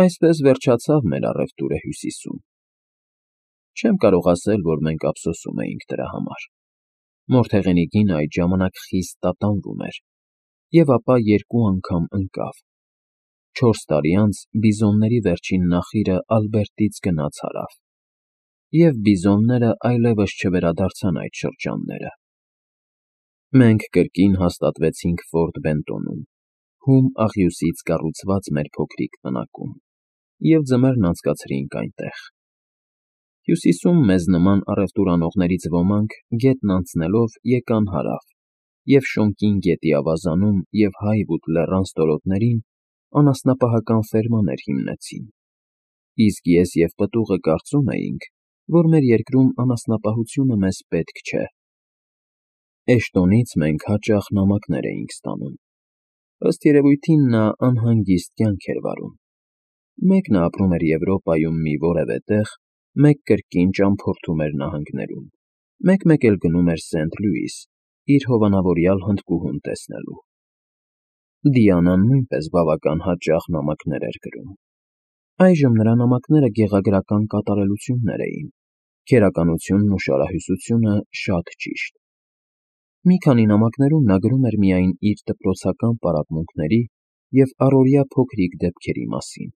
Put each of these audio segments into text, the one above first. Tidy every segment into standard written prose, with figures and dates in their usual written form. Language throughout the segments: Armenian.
Այսպես վերջացավ մեր առևտուրը Հյուսիսում։ Չեմ կարող ասել, որ մենք ափսոսում էինք դրա համար։ Մորթեղենի գինը այդ ժամանակ խիստ տատանվում էր, և ապա երկու անգամ ընկավ։ 4 տարի անց բիզոնների վերջին նախիրը Ալբերտից գնաց հարավ, և բիզոնները այլևս չվերադարձան այդ շրջանները։ Մենք կրկին հաստատվեցինք Ֆորտ Բենտոնում, հում աղյուսից կառուցված մեր փոքրիկ տնակում, և ձմեռն անցկացրինք այնտեղ։ Հյուսիսում մեզ նման առևտուրանողներից ոմանք գետն անցնելով եկան հարավ և Շոնկին գետի ավազանում և Հայվուդ լեռան ստորոտներին անասնապահական ֆերմաներ հիմնեցին, իսկ ես և պտուղը կարծում էինք, որ մեր երկրում անասնապահությունը մեզ պետք չէ։ Էշտոնից մենք հաճախ նամակներ էինք ստանում։ Ըստ երևույթին նա անհանգիստ կյանք էր վարում։ Մեկն ապրում էր Եվրոպայում մի որևէ տեղ, մեկ կրկին ճամփորդում էր նահանգներում, մեկ-մեկ էլ գնում էր Սենթ Լյուիս՝ իր հովանավորյալ հնդկուհուն տեսնելու։ Դիանան նույնպես բավական հաճախ նամակներ էր գրում։ Այժմ նրա նամակները գեղագրական կատարելություններ էին, քերականությունն ու շարահյուսությունը շատ ճիշտ։ Մի քանի նամակներում նա գրում էր միայն իր դպրոցական պարապմունքների և առօրյա փոքրիկ դեպքերի մասին։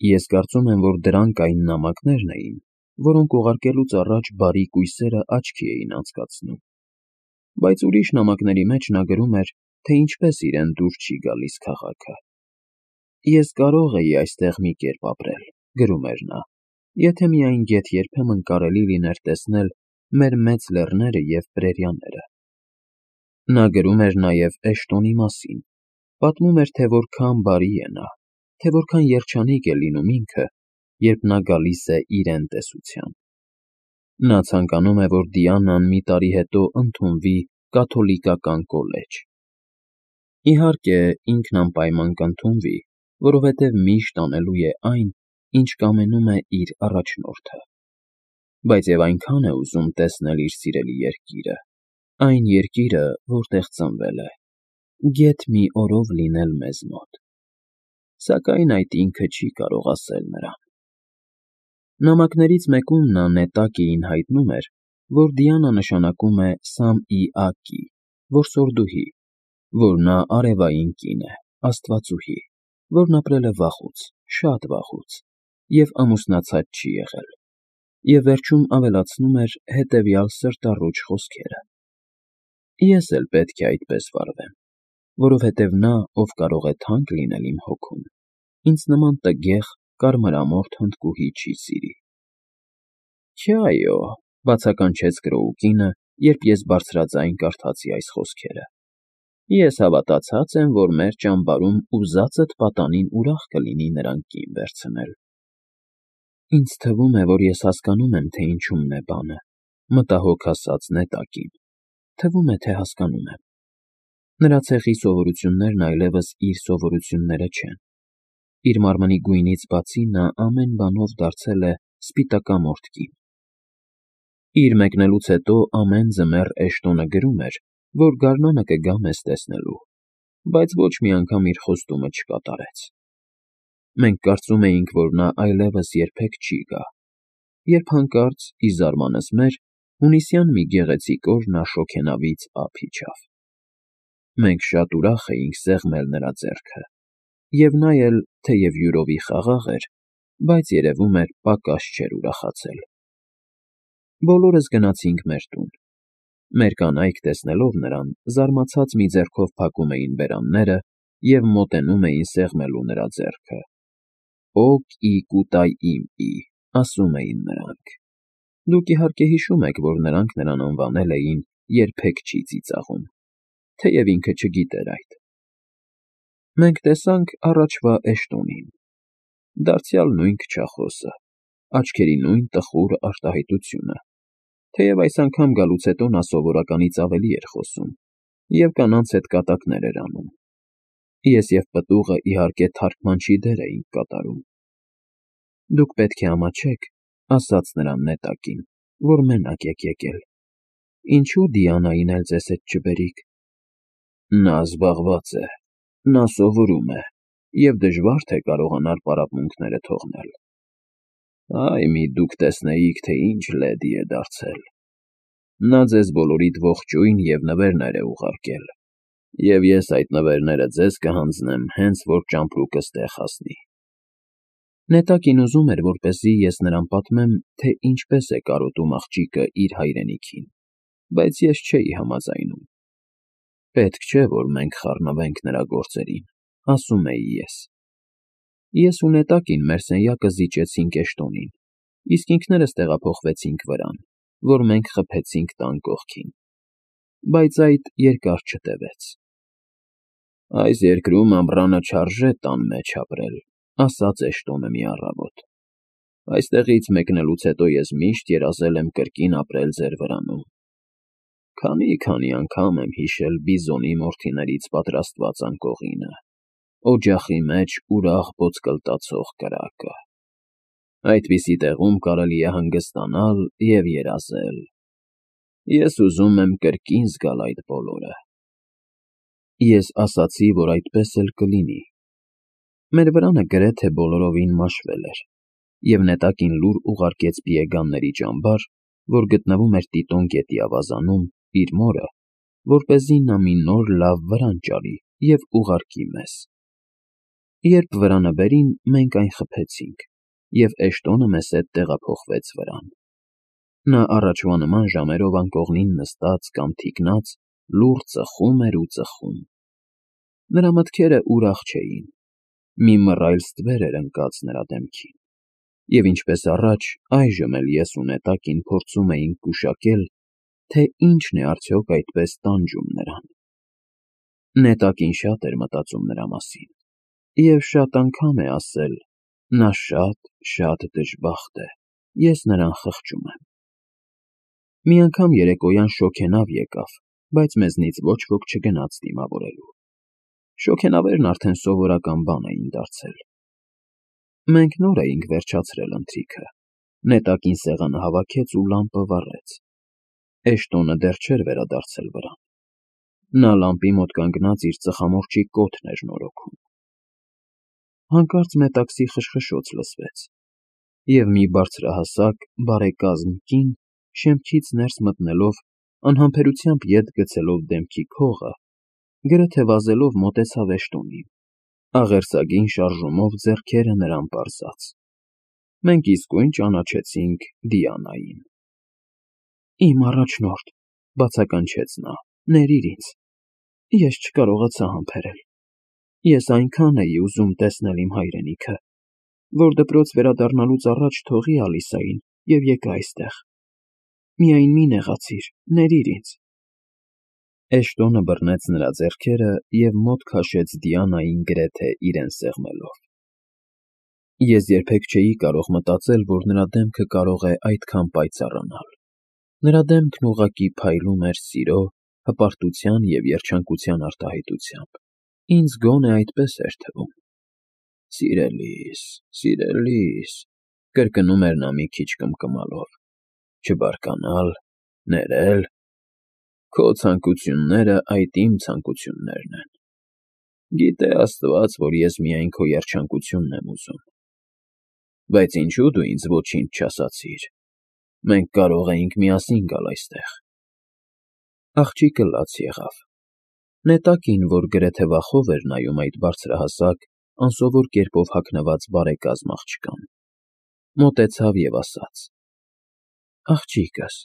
Ես կարծում եմ, որ դրանք այն նամակներն էին, որոնք ուղարկելուց առաջ բարի կույսերը աչքի էին անցկացնում, բայց ուրիշ նամակների մեջ նա գրում էր, թե ինչպես իրեն դուր չի գալիս քաղաքը։ «Ես կարող էի այստեղ մի կերպ ապրել», գրում էր նա, «եթե միայն գեթ երբեմն կարելի լիներ տեսնել մեր մեծ լեռները և պրերիաները»։ Նա գրում էր նաև Էշտոնի մասին, պատմում էր, թե որքան բարի է նա, թե որքան երջանիկ է լինում ինքը, երբ նա գալիս է իրեն տեսության։ Նա ցանկանում է, որ Դիանան մի տարի հետո ընդունվի կաթոլիկական կոլեջ։ Իհարկե, ինքն անպայման կընդունվի, որովհետև միշտ անելու է այն, ինչ կամենում է իր առաջնորդը։ Բայց և այնքան է ուզում տեսնել իր սիրելի երկիրը, այն երկիրը, որտեղ ծնվել է, գեթ մի օրով լինել մեզ մոտ։ Սակայն այդ ինքը չի կարող ասել նրան։ Նամակներից մեկում նա նետակիին հայտնում էր, որ Դիանա նշանակում է Սամ֊ի֊ակի, որսորդուհի, որ նա արևային կին է, աստվածուհի, որն ապրել է վաղուց, շատ վաղուց, և ամուսնացած չի եղել, և վերջում ավելացնում էր հետևյալ սրտառուչ խոսքերը. «Ես էլ պետք է այդպես վարվեմ, որովհետև նա, ով կարող է թանկ լինել իմ հոգուն, ինձ նման տգեղ, կարմրամորթ հնդկուհի չի սիրի»։ «Չէ՛, այո», բացականչեց Կրոուկինը, երբ ես բարձրաձայն կարդացի այս խոսքերը։ «Ես հավատացած եմ, որ մեր ճամբարում ուզածդ պատանին ուրախ կլինի նրան կին վերցնել»։ «Ինձ թվում է, որ ես հասկանում եմ, թե ինչումն է բանը», մտահոգ ասաց նետակին։ «Թվում է, թե հասկանում եմ»։ Նրա ցեղի սովորություններն այլևս իր սովորությունները չեն։ Իր մարմնի գույնից բացի նա ամեն բանով դարձել է սպիտակամորթ կին։ Իր մեկնելուց հետո ամեն ձմեռ Էշտոնը գրում էր, որ գարնանը կգա մեզ տեսնելու, բայց ոչ մի անգամ իր խոստումը չկատարեց։ Մենք կարծում էինք, որ նա այլևս երբեք չի գա, երբ հանկարծ, ի զարմանս մեր, հունիսյան մի գեղեցիկ օր նա շոգենավից ափ իջավ։ Մենք շատ ուրախ էինք սեղմել նրա ձեռքը, և նա էլ, թեև յուրովի խաղաղ էր, բայց երևում էր պակաս չէր ուրախացել։ Բոլորս գնացինք մեր տուն։ Մեր կանայք, տեսնելով նրան, զարմացած մի ձեռքով փակում էին բերանները և մոտենում էին սեղմելու նրա ձեռքը։ «Օ կի կուտայ իմ ի», ասում էին նրանք։ Դուք իհարկե հիշում եք, որ նրանք նրան անվանել էին «երբեք չի ծիծաղում», թեև ինքը չգիտեր այդ։ Մենք տեսանք առաջվա Էշտոնին։ Դարձյալ նույն քչախոսը, աչքերի նույն տխուր արտահայտությունը, թեև այս անգամ գալուց հետո նա սովորականից ավելի էր խոսում և կանանց հետ կատակներ էր անում։ Ես և պտուղը, իհարկե, թարգմանչի դեր էինք կատարում։ «Դուք պետք է ամաչեք», ասաց նրան նետակին, «որ մենակ եք եկել։ Ինչո՞ւ Դիանային էլ ձեզ հետ չբերիք»։ «Նա զբաղված է, նա սովորում է», և դժվար թե կարողանար պարապմունքները թողնել։ Այ մի դուք տեսնեիք, թե ինչ լեդի է դարձել։ Նա ձեզ բոլորիդ ողջույն և նվերներ է ուղարկել, և ես այդ նվերները ձեզ կհանձնեմ, հենց որ ճամպրուկս տեղ հասնի։ Նետակին ուզում էր, որպեսզի ես նրան պատմեմ, թե ինչպես է կարոտում աղջիկը իր հայրենիքին, բայց ես չէի համաձայնում։ Պետք չէ, որ մենք խառնվենք նրա գործերին, ասում էի ես։ Ես ու Նետակին մեր սենյակը զիջեցինք Էշտոնին, իսկ ինքներս տեղափոխվեցինք վրան, որ մենք խփեցինք տան կողքին։ Բայց այդ երկար չտևեց։ Այս երկրում ամռանը չարժե տան մեջ ապրել, ասաց Էշտոնը մի առավոտ։ Այստեղից մեկնելուց հետո ես միշտ երազել եմ կրկին ապրել ձեր վրանում։ Քանի անգամ եմ հիշել բիզոնի մորթիներից պատրաստված անկողինը, օջախի մեջ ուրախ ոսկլտացող կրակը։ Այդպիսի տեղում կարելի է հանգստանալ և երազել։ Ես ուզում եմ կրկին զգալ այդ բոլորը։ Ես ասացի, որ այդպես էլ կլինի։ Մեր վրանը գրեթե բոլորովին մաշվել էր, և Նետակին լուր ուղարկեց Պիեգանների ճամբար, որ գտնվում էր Տիտոն գետի ավազանում, իր մորը, որպեսզի նա մի նոր լավ վրան ճարի և ուղարկի մեզ։ Երբ վրանը բերին, մենք այն խփեցինք, և Էշտոնը մեզ հետ տեղափոխվեց վրան։ Նա առաջվա նման ժամերով անկողնին նստած կամ թիկնած լուռ ծխում էր ու ծխում։ Նրա մտքերը ուրախ չէին։ Մի մռայլ ստվեր էր ընկած նրա դեմքին, և ինչպես առաջ, այժմ էլ ես ու Նետակին փորձում էինք գուշակել, թե ինչն է արդյոք այդպես տանջում նրան։ Նետակին շատ էր մտածում նրա մասին, և շատ անգամ է ասել. «Նա շատ դժբախտ է, ես նրան խղճում եմ»։ Մի անգամ երեկոյան շոգենավ եկավ, բայց մեզնից ոչ ոք չգնաց դիմավորելու։ Շոգենավերն արդեն սովորական բան էին դարձել։ Մենք նոր էինք վերջացրել ընթրիքը։ Նետակին սեղանը հավաքեց ու լամպը վառեց։ Էշտոնը դեռ չէր վերադարձել վրան։ Նա լամպի մոտ կանգնած իր ծխամորճի կոթն էր նորոգում։ Հանկարծ մետաքսի խշխշոց լսվեց, և մի բարձրահասակ, բարեկազմ կին, շեմքից ներս մտնելով, անհամբերությամբ ետ գցելով դեմքի քողը, գրեթե վազելով մոտեցավ Էշտոնին, աղերսագին շարժումով ձեռքերը նրան պարզած։ Մենք իսկույն ճանաչեցինք Դիանային։ «Իմ առաջնորդ», բացականչեց նա, «ներիր ինձ, ես չկարողացա համբերել։ Ես այնքան էի ուզում տեսնել իմ հայրենիքը, որ դպրոց վերադառնալուց առաջ թողի Ալիսային և եկա այստեղ։ Միայն մի նեղացիր, ներիր ինձ»։ Էշտոնը բռնեց նրա ձեռքերը և մոտ քաշեց Դիանային գրեթե իրեն սեղմելով։ Ես երբեք չէի կարող մտածել, որ նրա դեմքը կարող է այդքան պայծառանալ։ Նրա դեմքն ուղղակի փայլում էր սիրո, հպարտության և երջանկության արտահայտությամբ։ Ինձ գոնե այդպես էր թվում։ «Սիրելիս, սիրելիս», կրկնում էր նա մի քիչ կմկմալով, «չբարկանալ, ներել։ Քո ցանկությունները այդ իմ ցանկություններն են։ Գիտե Աստված, որ ես միայն քո երջանկությունն եմ ուզում։ Բայց ինչու դու ինձ ոչինչ չասացիր։ Մենք կարող էինք միասին գալ այստեղ»։ Աղջիկը լաց եղավ։ Նետակին, որ գրեթե վախով էր նայում այդ բարձրահասակ, անսովոր կերպով հագնված բարեկազմ աղջկան, մոտեցավ և ասաց. «Աղջիկս,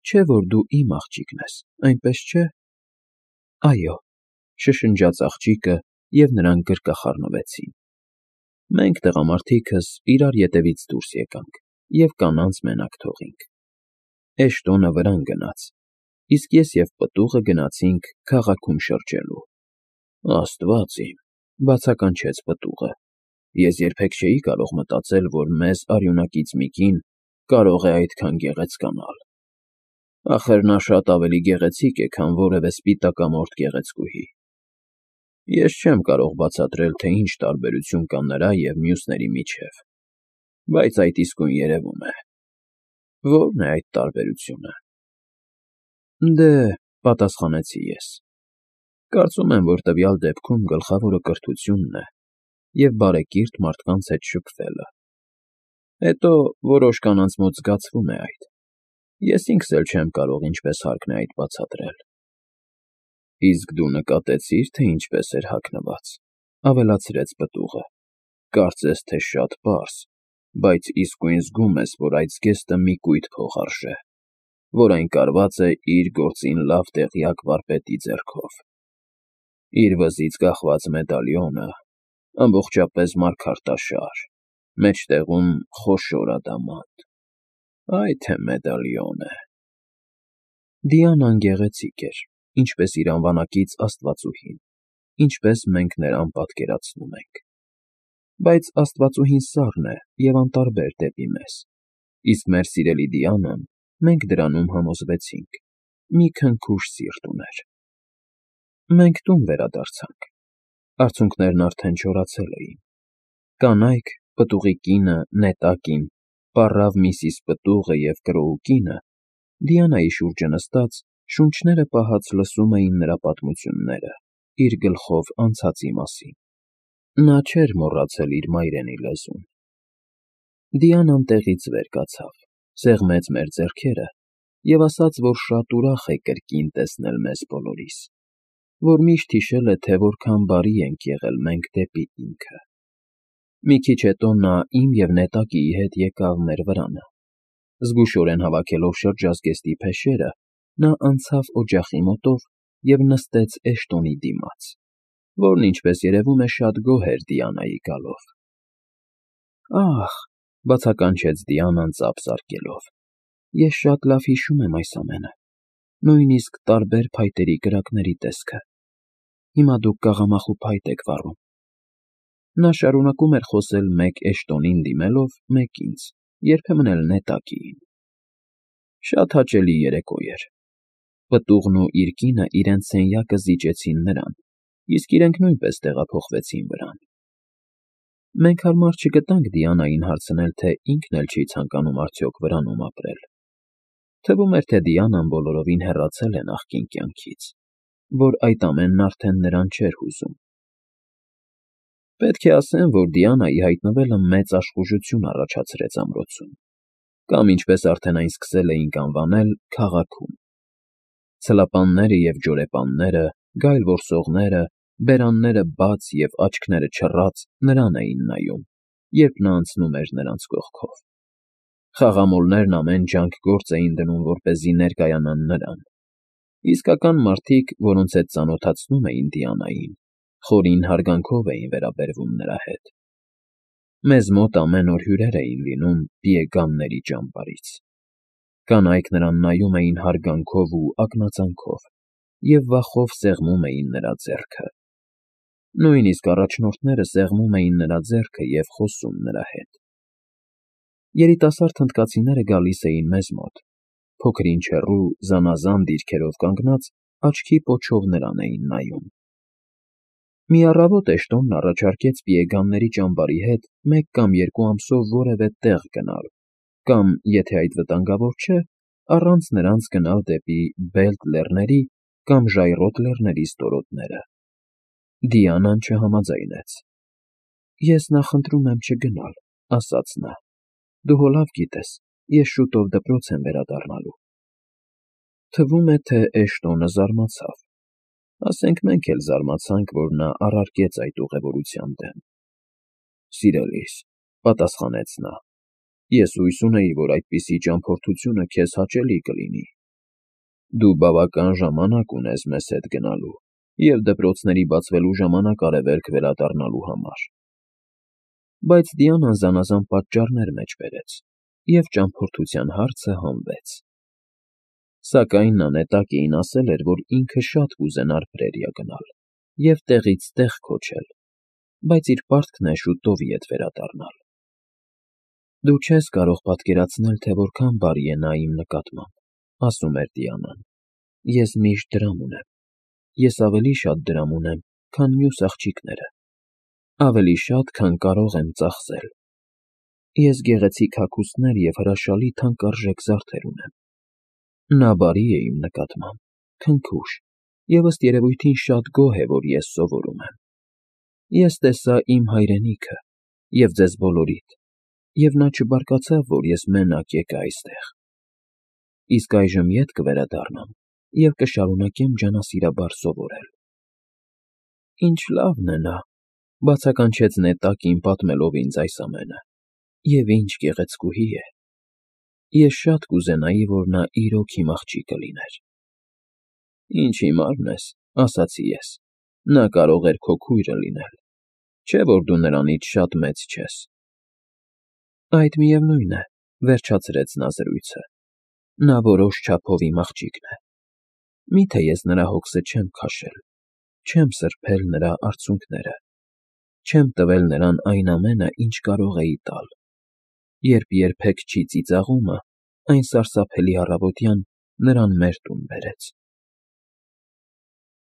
չէ՞ որ դու իմ աղջիկն ես, այնպես չէ՞»։ «Այո», շշնջաց աղջիկը, և նրանք գրկախառնվեցին։ Մենք տղամարդիկս իրար ետևից դուրս եկանք և կանանց մենակ թողինք։ Էշտոնը վրան գնաց, իսկ ես և պտուղը գնացինք քաղաքում շրջելու։ «Աստված իմ», բացականչեց պտուղը, «ես երբեք չէի կարող մտածել, որ մեզ արյունակից մի կին կարող է այդքան գեղեցկանալ։ Ախր նա շատ ավելի գեղեցիկ է, քան որևէ սպիտակամորթ գեղեցկուհի։ Ես չեմ կարող բացատրել, թե ինչ տարբերություն կա նրա և մյուսների միջև, բայց այդ իսկույն երևում է։ Ո՞րն է այդ տարբերությունը»։ «Դե,» պատասխանեցի ես, «կարծում եմ, որ տվյալ դեպքում գլխավորը կրթությունն է, և բարեկիրթ մարդկանց հետ շփվելը։ Հետո որոշ կանանց մոտ զգացվում է այդ։ Ես ինքս էլ չեմ կարող ինչպես հարկն է այդ բացատրել։ Իսկ դու նկատեցի՞ր, թե ինչպես էր հագնված,֊ ավելացրեց պտուղը։ Կարծես թե շատ պարզ, բայց իսկույն զգում ես, որ այդ զգեստը մի կույտ փող արժե, որ այն կարված է իր գործին լավ տեղյակ վարպետի ձեռքով։ Իր վզից կախված մեդալիոնը ամբողջապես մարգարտաշար, մեջտեղում խոշոր ադամանտ։ Այ թե մեդալիոն է… Դիանան գեղեցիկ էր, ինչպես իր անվանակից աստվածուհին, ինչպես մենք նրան պատկերացնում ենք։ Բայց աստվածուհին սառն է և անտարբեր դեպի մեզ, իսկ մեր սիրելի Դիանան, մենք դրանում համոզվեցինք, մի քնքուշ սիրտ ուներ։ Մենք տուն վերադարձանք։ Արցունքներն արդեն չորացել էին։ Կանայք, պտուղի կինը, նետակին, պառավ Միսիս Պտուղը և Կրոու կինը, Դիանայի շուրջը նստած, շունչները պահած լսում էին նրա պատմությունները, իր գլխով անցածի մասին։ Նա չէր մոռացել իր մայրենի լեզուն։ Դիանան տեղից վեր կացավ, սեղմեց մեր ձեռքերը և ասաց, որ շատ ուրախ է կրկին տեսնել մեզ բոլորիս, որ միշտ հիշել է, թե որքան բարի ենք եղել մենք դեպի ինքը։ Մի քիչ հետո նա իմ և նետակիի հետ եկավ մեր վրանը։ Զգուշորեն հավաքելով շրջազգեստի փեշերը, նա անցավ օջախի մոտով և նստեց Էշտոնի դիմաց, որն, ինչպես երևում է, շատ գոհ էր Դիանայի գալով։ Ահ,֊ բացականչեց Դիանան ծափ զարկելով,֊ ես շատ լավ հիշում եմ այս ամենը, նույնիսկ տարբեր փայտերի կրակների տեսքը։ Հիմա դուք կաղամախու փայտ եք վառում։ Նա շարունակում էր խոսել մեկ Էշտոնին դիմելով, մեկ ինձ, երբեմն էլ նետակիին։ Շատ հաճելի երեկո էր։ Պտուղն ու իր կինը իրենց սենյակը զիջեցին նրան, իսկ իրենք նույնպես տեղափոխվեցին վրան։ Մենք հարմար չգտանք Դիանային հարցնել, թե ինքն էլ չի ցանկանում արդյոք վրանում ապրել։ Թվում էր, թե Դիանան բոլորովին հեռացել է նախկին կյանքից, որ այդ ամենն արդեն նրան չէր հուզում։ Պետք է ասեմ, որ Դիանայի հայտնվելը մեծ աշխուժություն առաջացրեց ամրոցում, կամ, ինչպես արդեն այն սկսել էինք անվանել, քաղաքում։ Ցլապանները և ջորեպանները, գայլ որսողները, բերանները բաց և աչքները չռած նրան էին նայում, երբ նա անցնում էր նրանց կողքով։ Խաղամոլներն ամեն ջանք գործ էին դնում, որպեսզի ներկայանան նրան։ Իսկական մարդիկ, որոնց հետ ծանոթացնում էին Դիանային, խորին հարգանքով էին վերաբերվում նրա հետ։ Մեզ մոտ ամեն օր հյուրեր էին լինում պիեգանների ճամբարից։ Կանայք նրան նայում էին հարգանքով ու ակնածանքով և վախով սեղմում էին նրա ձեռքը։ Նույնիսկ առաջնորդները սեղմում էին նրա ձեռքը և խոսում նրա հետ։ Երիտասարդ հնդկացիները գալիս էին մեզ մոտ, փոքր-ինչ հեռու, զանազան դիրքերով կանգնած, աչքի պոչով նրան էին նայում։ Մի առավոտ Էշտոնն առաջարկեց պիեգանների ճամբարի հետ մեկ կամ երկու ամսով որևէ տեղ գնալ կամ, եթե այդ վտանգավոր չէ, առանց նրանց գնալ դեպի Բելտ լեռների կամ Ժայռոտ լեռների ստորոտները։ Դիանան չհամաձայնեց։ Ես նախընտրում եմ չգնալ,֊ ասաց նա։ Դու հո լավ գիտես, ես շուտով դպրոց եմ վերադառնալու։ Թվում է, թե Էշտոնը զարմացավ։ Ասենք մենք էլ զարմացանք, որ նա առարկեց այդ ուղևորության դեմ։ Սիրելիս,֊ պատասխանեց նա,֊ ես հույս ունեի, որ այդպիսի ճամփորդությունը քեզ հաճելի կլինի։ Դու բավական ժամանակ ունես մեզ հետ գնալու և դպրոցների բացվելու ժամանակ արևելք վերադառնալու համար։ Բայց Դիանան զանազան պատճառներ մեջ բերեց, և ճամփորդության հարցը հանվեց։ Սակայն նա նետակիին ասել էր, որ ինքը շատ կուզենար պրերիա գնալ և տեղից տեղ քոչել, բայց իր պարտքն է շուտով ետ վերադառնալ։ Դու չես կարող պատկերացնել, թե որքան բարի է նա իմ նկատմամբ,֊ ասում էր Դիանան։ Ես միշտ դրամ ունեմ։ Ես ավելի շատ դրամ ունեմ, քան մյուս աղջիկները, ավելի շատ, քան կարող եմ ծախսել։ Ես գեղեցիկ հագուստներ և հրաշալի թանկարժեք զարդեր ունեմ։ Նա բարի է իմ նկատմամբ, քնքուշ և ըստ երևույթին շատ գոհ է, որ ես սովորում եմ։ Ես տեսա իմ հայրենիքը և ձեզ բոլորիդ, և նա չբարկացավ, որ ես մենակ եկա այստեղ, իսկ այժմ ետ կվերադառնամ և կշարունակեմ ջանասիրաբար սովորել։ ֊ Ինչ լավն է նա,֊ բացականչեց Նետակին, պատմելով ինձ այս ամենը,֊ և ինչ գեղեցկուհի է… Ես շատ կուզենայի, որ նա իրոք իմ աղջիկը լիներ։ ֊ Ինչ հիմարն ես,֊ ասացի ես,֊ նա կարող էր քո քույրը լինել, չէ՞ որ դու նրանից շատ մեծ չես։ ֊ Այդ միևնույն է,֊ վերջացրեց նա զրույցը,֊ նա որոշ չափով իմ աղջիկն է… Մի՞թե ես նրա հոգսը չեմ քաշել, չեմ սրբել նրա արցունքները, չեմ տվել նրան այն ամենը, ինչ կարող էի տալ, երբ երբեք չի ծիծաղումը այն սարսափելի առավոտյան նրան մեր տուն բերեց։